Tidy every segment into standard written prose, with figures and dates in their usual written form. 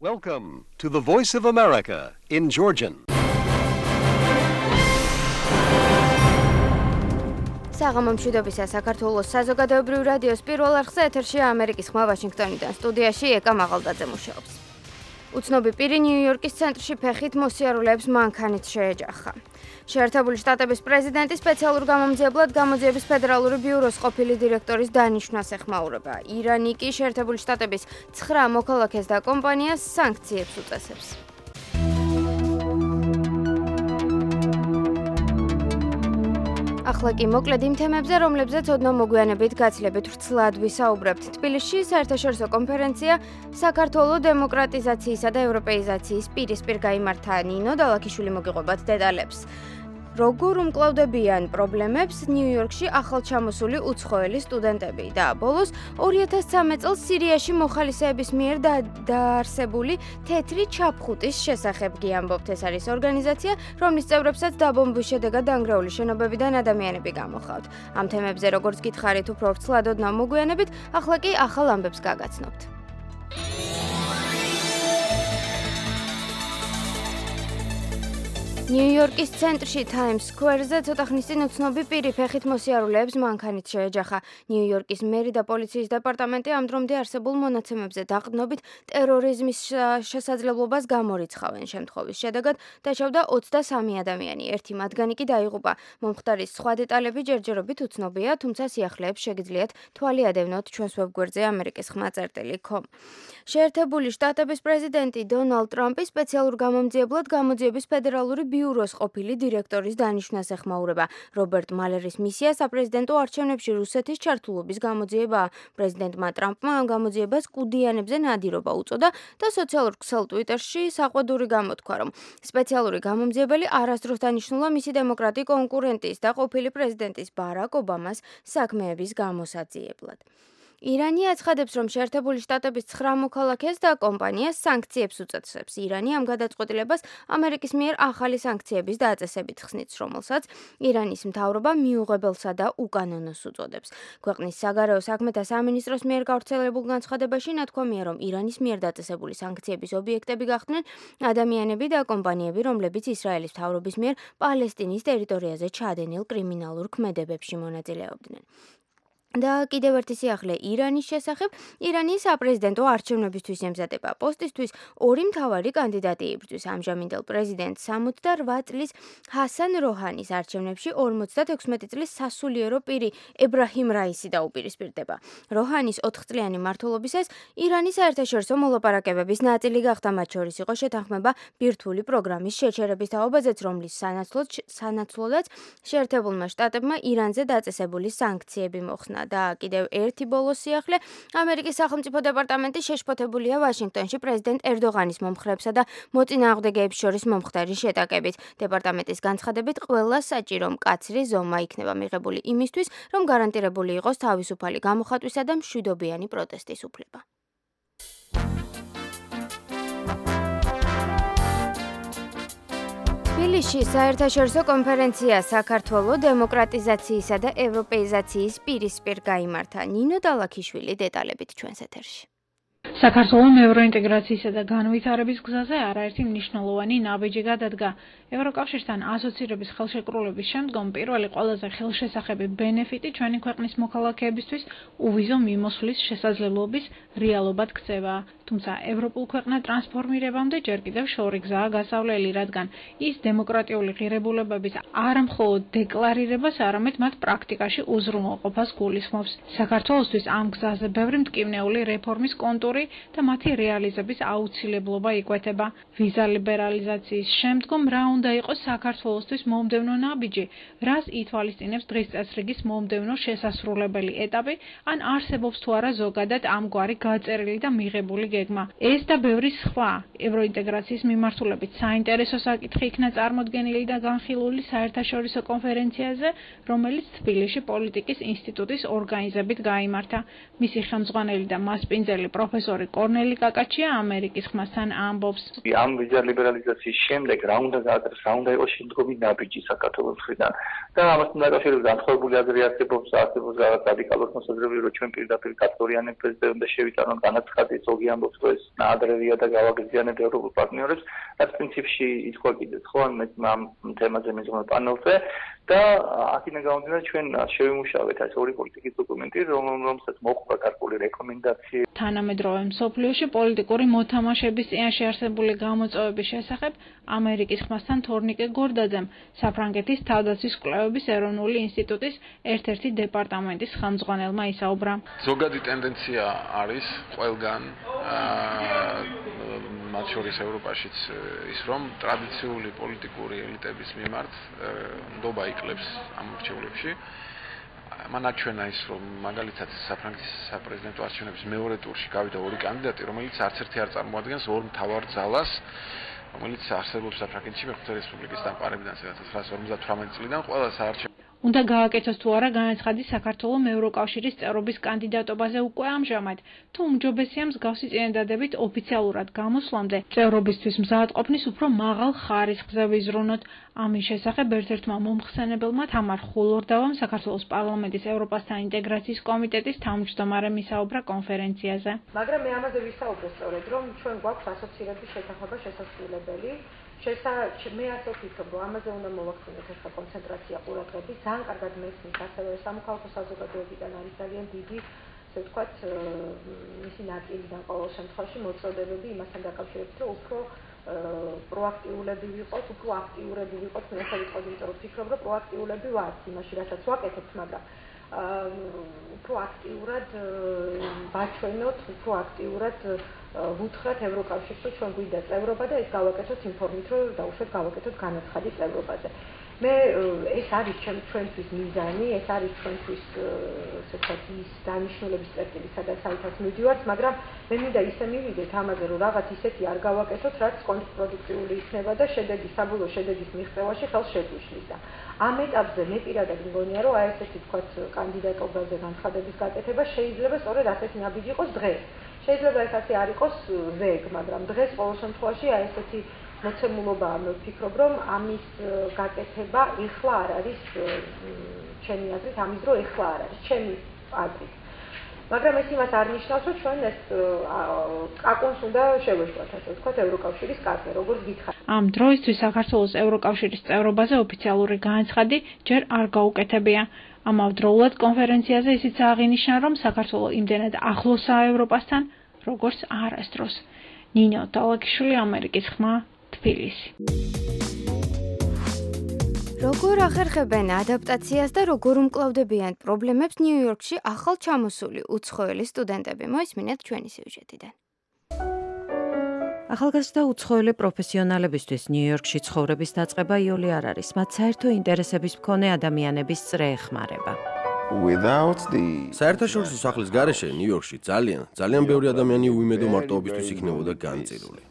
Welcome to the Voice of America in Georgian. საღამო მშვიდობისა საქართველოს საზოგადოებრივ რადიოს პირველ არხზე ეთერშია ამერიკის ხმა ვაშინგტონიდან. სტუდიაში ეკა მაღალდაძე მუშაობს. უცნობი პირი ნიუ-იორკის ცენტრში ფეხით მოსიარულეებს მანქანით შეეჯახა. შეერთებული შტატების პრეზიდენტის სპეციალურ გამომძიებლად გამოძიების ფედერალური ბიუროს ყოფილი დირექტორის დანიშვნას ეხმაურება. ირანი კი შეერთებული შტატების 9 მოქალაქეს და კომპანიას სანქციებს უწესებს. ახლა კი მოკლედ იმ თემებზე, რომლებზეც ოდნავ მოგვიანებით გაცილებით ვრცლად ვისაუბრებთ. თბილისში საერთაშორისო კონფერენცია საქართველოს დემოკრატიზაციისა და ევროპეიზაციის პირისპირ გაიმართა. ნინო დალაქიშვილი მოგიყვებათ დეტალებს. როგორ უმკლავდებიან პრობლემებს ნიუ-იორკში ახალჩამოსული უცხოელი სტუდენტები და ბოლოს 2013 წელს სირიაში მოხალისეების მიერ დაარსებული თეთრი ჩაფხუტის შესახებ გიამბობთ. ეს არის ორგანიზაცია, რომლის წევრებსაც დაბომბვის შედეგად დანგრეული შენობებიდან ადამიანები გამოჰყავთ. ამ თემებზე როგორც გითხარით, უფრო ვრცლად ოდნავ მოგვიანებით, ახლა კი ახალ ამბებს გაგაცნობთ. ნიუ-იორკის ცენტრში Times Square-ზე ცოტა ხნის წინ უცნობი პირი ფეხით მოსიარულეებს მანქანით შეეჯახა. ნიუ-იორკის მერი და პოლიციის დეპარტამენტი ამ დრომდე არსებულ მონაცემებზე დაყრდნობით ტერორიზმის შესაძლებლობას გამორიცხავენ. შემთხვევის შედეგად დაშავდა 23 ადამიანი. ერთი მათგანი კი დაიღუპა. მომხდარის სხვა დეტალები ჯერჯერობით უცნობია, თუმცა სიახლეებს შეგიძლიათ თვალი ადევნოთ ჩვენს ვებგვერდზე amerikis.com. შეერთებული შტატების პრეზიდენტი დონალდ ტრამპი სპეციალურ გამომძიებლად გამოძიების ფედერალური ბიუროს ყოფილი დირექტორის დანიშვნას ეხმაურება. რობერტ მალერის მისია საპრეზიდენტო არჩევნებში რუსეთის ჩართულობის გამოძიებაა. პრეზიდენტმა ტრამპმა ამ გამოძიებას კუდიანებზე ნადირობა უწოდა და სოციალურ ქსელ ტვიტერში საყვედური გამოთქვა, რომ სპეციალური გამომძიებელი არასდროს დანიშნულა მისი დემოკრატი კონკურენტის და ყოფილი პრეზიდენტის ბარაკ ობამას საქმეების გამოსაძიებლად. ირანი აცხადებს, რომ შეერთებული შტატების 9 მოქალაქეს და კომპანიას სანქციებს უწესებს. ირანი ამ გადაწყვეტილებას ამერიკის მიერ ახალი სანქციების დაწესებით ხსნით, რომელსაც ირანის მთავრობა მიუღებელსა და უკანონოს უწოდებს. ქვეყნის საგარეო საქმეთა სამინისტროს მიერ გავრცელებულ განცხადებაში ნათქვამია, რომ ირანის მიერ დაწესებული სანქციების ობიექტები გახდნენ ადამიანები და კომპანიები, რომლებიც ისრაელის მთავრობის მიერ პალესტინის ტერიტორიაზე ჩადენილ კრიმინალურ ქმედებებში მონაწილეობდნენ. და კიდევ ერთი სიახლე ირანის შესახებ. ირანის საპრეზიდენტო არჩევნებისთვის ემზადება. პოსტისთვის ორი მთავარი კანდიდატი იბრძვის. ამჟამინდელ პრეზიდენტ 68 წლის ჰასან როჰანის არჩევნებში 56 წლის სასულიერო პირი ებრაჰიმ რაისი დაუპირისპირდება. როჰანის 4 წლიანი მმართველობისას ირანის საერთაშორისო მოლაპარაკებების ნაწილი გახდა. მათ შორის იყო შეთანხმება ბირთვული პროგრამის შეჩერების თაობაზეც, რომლის სანაცვლოდაც შეერთებულმა შტატებმა ირანზე დაწესებული სანქციები მოხსნა. და კიდევ ერთი ბოლო სიახლე. ამერიკის სახელმწიფო დეპარტამენტი შეშფოთებულია ვაშინგტონში პრეზიდენტ ერდოღანის მომხრეებსა და მოწინააღმდეგეებს შორის მომხდარი შეტაკებით. დეპარტამენტის განცხადებით, ყველა საჭირო მკაცრი ზომა იქნება მიღებული იმისთვის, რომ გარანტირებული იყოს თავისუფალი გამოხატვისა და მშვიდობიანი პროტესტის უფლება. თბილისში საერთაშორისო კონფერენცია საქართველოს დემოკრატიზაციისა და ევროპეიზაციის პირისპირ გაიმართა. ნინო დალაქიშვილი დეტალებით ჩვენს ეთერში. საქართველოს ევროინტეგრაციისა და განვითარების გზაზე არაერთი მნიშვნელოვანი ნაბიჯი გადადგა. ევროკავშირთან ასოცირების ხელშეკრულების შემდგომ პირველი ყველაზე ხელშესახები ბენეფიტი ჩვენი ქვეყნის მოქალაქეებისთვის უვიზო მიმოსვლის შესაძლებლობის რეალობად ქცევა. თუმცა ევროპულ ქვეყნად ტრანსფორმირებამდე ჯერ კიდევ შორი გზაა გასავლელი, რადგან ის დემოკრატიული ღირებულებების არა მხოლოდ დეკლარირებას, არამედ მათ პრაქტიკაში უზრუნველყოფას გულისხმობს. საქართველოსთვის ამ გზაზე ბევრი მტკივნეული რეფორმის კონტური და მათი რეალიზების აუცილებლობა იკვეთება. ვიზა ლიბერალიზაციის შემდგომ რა უნდა იყოს საქართველოსთვის მომდევნო ნაბიჯი, რას ითვალისწინებს დღის წესრიგის მომდევნო შესასრულებელი ეტაპი, ან არსებობს თუ არა ზოგადად ამგვარი გაწერილი და მიღებული გეგმა. ეს და ბევრი სხვა ევროინტეგრაციის მიმართულებით საინტერესო საკითხი იქნა წარმოდგენილი და განხილული საერთაშორისო კონფერენციაზე, რომელიც თბილისში პოლიტიკის ინსტიტუტის ორგანიზებით გაიმართა. მისი ხელმძღვანელი და მასპინძელი პროფესორი პროფესორი კორნელი კაკაჩია ამერიკის ხმასთან ამბობს. ამ ვიზა ლიბერალიზაციის შემდეგ რა უნდა გააკეთოს, რა უნდა იყოს შემდგომი ნაბიჯი საქართველოს მხრიდან და ამასთან დაკავშირებით განსხვავებული აზრი არსებობს რაღაც რადიკალურ მოსაზრებები, რომ ჩვენ პირდაპირ კატეგორიანებ პრეზიდენტზე შევიტანოთ განაცხადი, ზოგი ამბობს, რომ ეს ნაადრევია და გავაგრძიანებთ ევროპულ პარტნიორებს, რაც პრინციპში ითქვა კიდეც ხო ამ თემაზე მიზღვნილ პანელზე და აქედან გამომდინარე ჩვენ შევიმუშავეთ ეს ორი პოლიტიკის დოკუმენტი, რომელსაც მოჰყვა გარკვეული რეკომენდაციები. თანამედროვე მსოფლიოში პოლიტიკური მოთამაშების წინაშე არსებული გამოწვევების შესახებ ამერიკის ხმასთან თორნიკე გორდაძემ საფრანგეთის თავდაცვის კვლევების ეროვნული ინსტიტუტის ერთ-ერთი დეპარტამენტის ხელმძღვანელმა ისაუბრა. ზოგადი ტენდენცია არის ყველგან მათ შორის ევროპაშიც ის რომ ტრადიციული პოლიტიკური ელიტების მიმართ ნდობა იკლებს ამ რჩეულებში. მან აჩვენა ის რომ მაგალითად საფრანგეთის საპრეზიდენტო არჩევნების მეორე ტურში გავიდა ორი კანდიდატი, რომელიც არც ერთი არ წარმოადგენს ორ მთავარ ძალას, რომელიც არსებობს საფრანგეთში მეხუთე რესპუბლიკის დამყარებიდან 1958 წლიდან ყველა საარჩევნო უნდა გააკეთოს თუ არა განაცხადი საქართველოს ევროკავშირის წევრობის კანდიდატობაზე უკვე ამჟამად, თუ უმჯობესია მსგავსი წინადადებით ოფიციალურად გამოსვლამდე წევრობისთვის მზადყოფნის უფრო მაღალ ხარისხზე ვიზრუნოთ. ამის შესახებ ერთ-ერთმა მომხსენებელმა თამარ ხულორდავამ საქართველოს პარლამენტის ევროპასთან ინტეგრაციის კომიტეტის თავმჯდომარემ ისაუბრა კონფერენციაზე. მაგრამ მე ამაზე ვისაუბრე სწორედ, რომ ჩვენ გვაქვს ასოცირების შეთანხმება შესაძლებელი. მე ასე ვფიქრობ, რომ ამაზე უნდა მოვაქცინოთ ახლა კონცენტრაცია ყურადღების, ძალიან კარგად მესმის ასევე სამოქალაქო საზოგადოებიდან არის ძალიან დიდი, ასე ვთქვათ, მისი ნაწილიდან ყოველ შემთხვევაში მოწოდებები იმასთან დაკავშირებით, რომ უფრო პროაქტიულები ვიყოთ, უფრო აქტიურები ვიყოთ, მე ასე ვიტყოდი, იმიტომ რომ ვფიქრობ, რომ პროაქტიულები ვართ იმაში, რასაც ვაკეთებთ, მაგრამ უფრო აქტიურად ვაჩვენოთ, უფრო აქტიურად ვუთხრათ ევროკავშირს, რომ ჩვენ გვინდა წევრობა და ეს გავაკეთოთ იმ ფორმით, რომ დაუშვათ გავაკეთოთ განაცხადი წევრობაზე. ეს არის ჩვენთვის მიზანი, ეს არის ჩვენთვის ასე ვთქვათ ის დანიშნულების წერტილი, სადაც საერთოდ მივდივართ, მაგრამ მე მინდა ისე მივიდეთ ამაზე, რომ რაღაც ისეთი არ გავაკეთოთ, რაც კონტრპროდუქტიული იქნება და საბოლოო შედეგის მიღწევაში ხელს შეგვიშლის და ამ ეტაპზე მე პირადად მგონია, რომ აი ესეთი ვთქვათ კანდიდატობაზე განცხადების გაკეთება შეიძლება სწორედ ასეთი ნაბიჯი იყოს დღეს. შეიძლება ეს ასე არ იყოს ზეგ, მაგრამ დღეს ყოველ შემთხვევაში აი ესეთი მოცემულობაა, მე ვფიქრობ, რომ ამის გაკეთება ეხლა არ არის ჩემი აზრით, ამის დრო ეხლა არ არის ჩემი აზრით. მაგრამ ეს იმას არ ნიშნავს, რომ ჩვენ ეს კაკონს უნდა შევეშლათ, ასე ვთქვათ, ევროკავშირის კარზე, როგორც გითხარით. ამ დროისთვის საქართველოს ევროკავშირის წევრობაზე ოფიციალური განაცხადი ჯერ არ გაუკეთებია. ამავდროულად კონფერენციაზე ისიც აღინიშნა, რომ საქართველო იმდენად ახლოსაა ევროპასთან, როგორც არასდროს. ნინო ტალაკიშვილი, ამერიკის ხმა, თბილისი. როგორ ახერხებენ ადაპტაციას და როგორ უმკლავდებიან პრობლემებს ნიუ-იორკში ახალ ჩამოსული უცხოელი სტუდენტები? მოისმინეთ ჩვენი სიუჟეტიდან. ახალგაზრდა უცხოელი პროფესიონალებისთვის ნიუ-იორკში ცხოვრების დაწყება იოლი არ არის. მათ საერთო ინტერესების მქონე ადამიანების წრე ეხმარება. საერთაშორისო სახლის გარეშე ნიუ-იორკში ძალიან ბევრი ადამიანი უიმედო მარტოობისთვის იქნებოდა განწირული.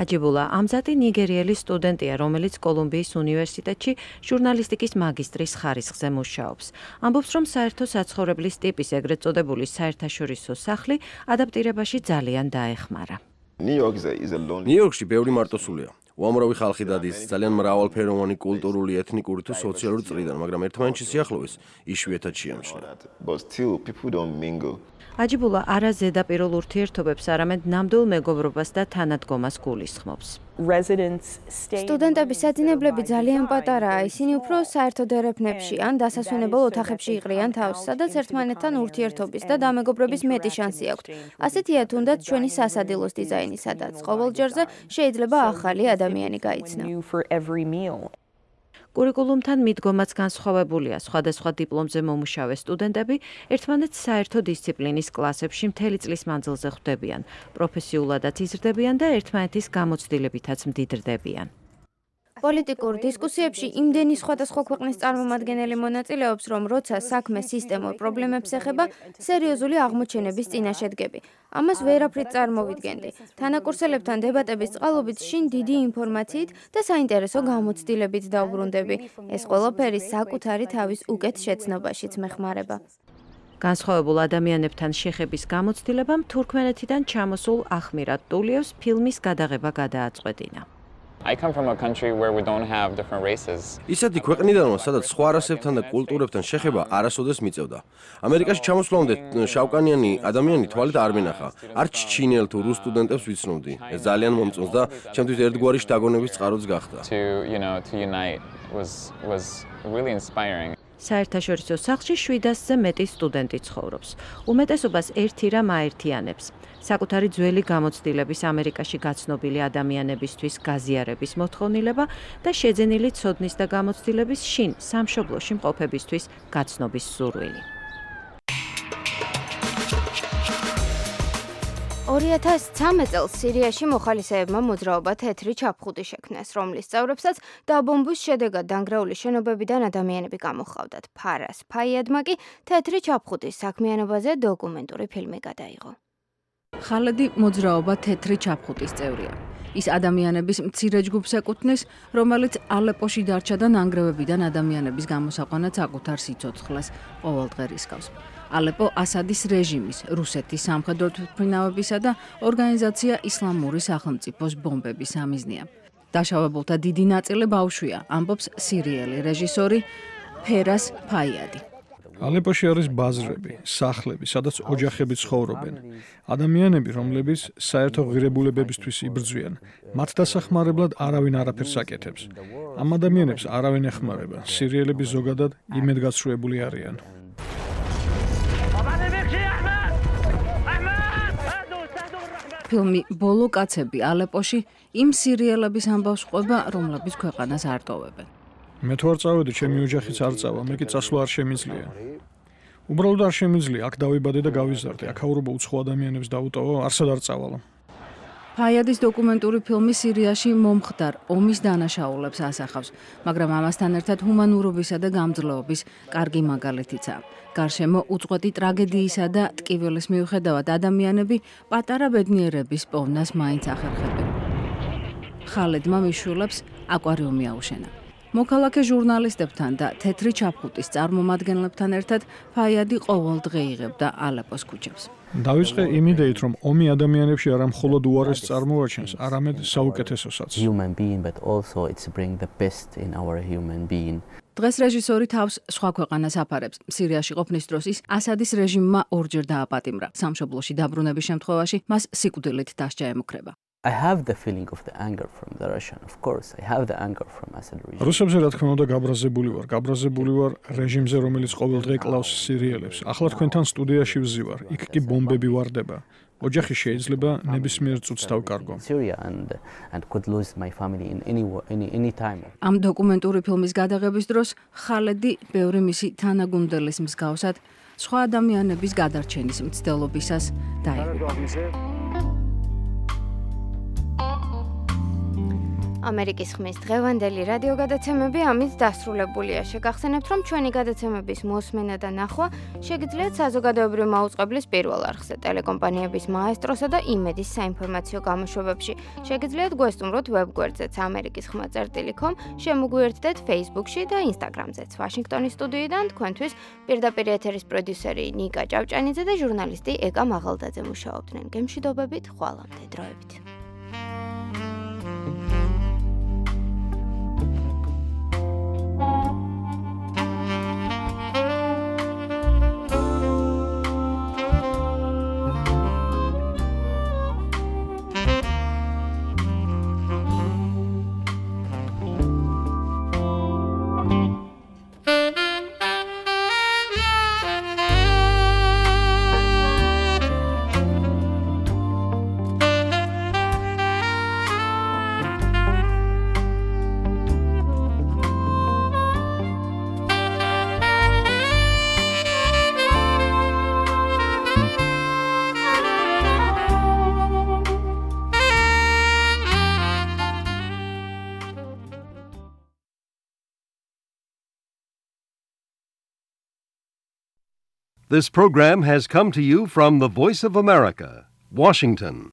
აჯიბულა ამზატი ნიგერიელი სტუდენტია, რომელიც კოლუმბიის უნივერსიტეტში ჟურნალისტიკის მაგისტრის ხარისხზე მუშაობს. ამბობს, რომ საერთო საცხოვრებლის ტიპის ეგრეთ წოდებული საერთაშორისო სახლი ადაპტირებაში ძალიან დაეხმარა. ნიუ-იორკში ბევრი მარტოსულია. უამრავი ხალხი დადის ძალიან მრავალფეროვანი კულტურული, ეთნიკური თუ სოციალური წრიდან, მაგრამ ერთმანეთში სიახლოვეს იშვიათად შეამჩნია. აჯიბულა არა ზედაპირულ ურთიერთობებს, არამედ ნამდვილ მეგობრობას და თანადგომას გულისხმობს. სტუდენტების საძინებლები ძალიან პატარაა, ისინი უფრო საერთო დერეფნებში ან დასასვენებელ ოთახებში იყრიან თავს, სადაც ერთმანეთთან ურთიერთობის და დამეგობრების მეტი შანსი აქვთ. ასეთია თუნდაც ჩვენი სასადილოს დიზაინი, სადაც ყოველ ჯერზე შეიძლება ახალი ადამიანი გაიცნო. კურიკულუმთან მიდგომაც განსხვავებულია. სხვადასხვა დიპლომზე მომუშავე სტუდენტები ერთმანეთს საერთო დისციპლინის კლასებში მთელი წლის მანძილზე ხვდებიან, პროფესიულადაც იზრდებიან და ერთმანეთის გამოცდილებითაც მდიდრდებიან. პოლიტიკურ დისკუსიებში იმდენი სხვადასხვა ქვეყნის წარმომადგენელი მონაწილეობს, რომ როცა საქმე სისტემურ პრობლემებს ეხება, სერიოზული აღმოჩენების წინაშე დგები. ამას ვერაფრით წარმოვიდგენდი. თანაკურსელებთან დებატების წყალობით შინ დიდი ინფორმაციით და საინტერესო გამოცდილებით დავბრუნდები. ეს ყველაფერი საკუთარი თავის უკეთ შეცნობაშიც მეხმარება. განსხვავებულ ადამიანებთან შეხების გამოცდილებამ თურქმენეთიდან ჩამოსულ ახმირად ტულიევს ფილმის გადაღება გადააწყვეტინა. I come from a country where we don't have different races. ისეთი ქვეყნიდანვე, სადაც სხვა რასებთან და კულტურებთან შეხება არასოდეს მიწევდა. ამერიკაში ჩამოსვლამდე შავკანიანი ადამიანი თვალით არ მინახა. არც ჩინელ თუ რუს სტუდენტებს ვიცნობდი. ეს ძალიან მომწონს და ჩემთვის ერთგვარი შთაგონების წყაროც გახდა. To unite was really inspiring. საერთაშორისო სახლში 700-ზე მეტი სტუდენტი ცხოვრობს. უმეტესობას ერთი რამ აერთიანებს. საკუთარი ძველი გამოცდილების ამერიკაში გაცნობილი ადამიანებისთვის გაზიარების მოთხოვნილება და შეძენილი ცოდნის და გამოცდილების შინ სამშობლოში მყოფებისთვის გაცნობის სურვილი. 2013 წელს სირიაში მოხალისეებმა მოძრაობა თეთრი ჩაფხუტი შექმნეს, რომლის წევრებსაც დაბომბვის შედეგად დანგრეული შენობებიდან ადამიანები გამოჰყავდათ. ფარას ფაიადმა კი თეთრი ჩაფხუტის საქმიანობაზე დოკუმენტური ფილმი გადაიღო. ხალედი მოძრაობა თეთრი ჩაფხუტის წევრია. ის ადამიანების მცირე ჯგუფს ეკუთვნის, რომელიც ალეპოში დარჩა და ნანგრევებიდან ადამიანების გამოსაყვანად საკუთარ სიცოცხლეს ყოველდღე რისკავს. ალეპო ასადის რეჟიმის, რუსეთის სამხედრო თვითმფრინავებისა და ორგანიზაცია ისლამური სახელმწიფოს ბომბების სამიზნეა. დაშავებულთა დიდი ნაწილი ბავშვია, ამბობს სირიელი რეჟისორი ფერას ფაიადი. ალეპოში არის ბაზრები, სახლები, სადაც ოჯახები ცხოვრობენ. ადამიანები, რომლებიც საერთო ღირებულებებისთვის იბრძვიან, მათ დასახმარებლად არავინ არაფერს აკეთებს. ამ ადამიანებს არავინ ეხმარება. სირიელები ზოგადად იმედგაცრუებული არიან. ფილმი ბოლო კაცები ალეპოში იმ სირიელების ამბავს ყვება, რომლებიც ქვეყანას არ ტოვებენ. მე თუ არ წავედი, ჩემი ოჯახიც არ წავა, მე კი წასვლა არ შემიძლია. უბრალოდ არ შემიძლია, აქ დავიბადე და გავიზარდე, აქაურობა უცხო ადამიანებს დაუტოვა, არსად არ წავალა. ფაიადის დოკუმენტური ფილმი სირიაში მომხდარ ომის დანაშაულებს ასახავს, მაგრამ ამასთან ერთად ჰუმანურობისა და გამძლეობის კარგი მაგალითიცაა. გარშემო უწყვეტი ტრაგედიისა და ტკივილის მიუხედავად ადამიანები პატარა ბედნიერების პოვნას მაინც ახერხებენ. ხალედმა მიშულებს აკვარიუმი აუშენა. მოქალაქე ჟურნალისტებთან და თეთრი ჩაფხუტის წარმომადგენლებთან ერთად ფაიადი ყოველდღე იღებდა ალეპოს ქუჩებს. დავიწყე იმ იდეით, რომ ომი ადამიანებში არა მხოლოდ უარესს წარმოაჩენს, არამედ საუკეთესოსაც. დღეს რეჟისორი თავს სხვა ქვეყანას აფარებს. სირიაში ყოფნის დროს ის ასადის რეჟიმმა ორჯერ დააპატიმრა. სამშობლოში დაბრუნების შემთხვევაში მას სიკვდილით დასჯა ემუქრება. I have the feeling of the anger from the Russian, of course. I have the anger from Assad regime. რუსებზე რა თქმა უნდა გაბრაზებული ვარ რეჟიმზე, რომელიც ყოველდღე კლავს სირიელებს. ახლა თქვენთან სტუდიაში ვზივარ, იქ კი ბომბები ვარდება. ოჯახი შეიძლება ნებისმიერ წუთს დავკარგო. Syria and could lose my family in any time. ამ დოკუმენტური ფილმის გადაღების დროს ხალედი ბევრი მისი თანაგუნდელის მსგავსად სხვა ადამიანების გადარჩენის მცდელობისას დაიღუპა. ამერიკის ხმის დღევანდელი რადიო გადაცემები ამით დასრულებულია. შეგახსენებთ, რომ ჩვენი გადაცემების მოსმენა და ნახვა შეგიძლიათ საზოგადოებრივი მაუწყებლის პირველ არხზე, ტელეკომპანიების მაესტროსა და იმედის საინფორმაციო გამოშვებებში. შეგიძლიათ გვესტუმროთ ვებგვერდზეც amerikisxma.com, შემოგვიერთდეთ Facebook-ში და Instagram-ზეც. ვაშინგტონის სტუდიიდან თქვენთვის პირდაპირ ეთერის პროდიუსერი ნიკა ჭავჭანიძე და ჟურნალისტი ეკა მაღალდაძე მუშაობდნენ. გემშვიდობებით, ხვალამდე დროებით. This program has come to you from the Voice of America, Washington.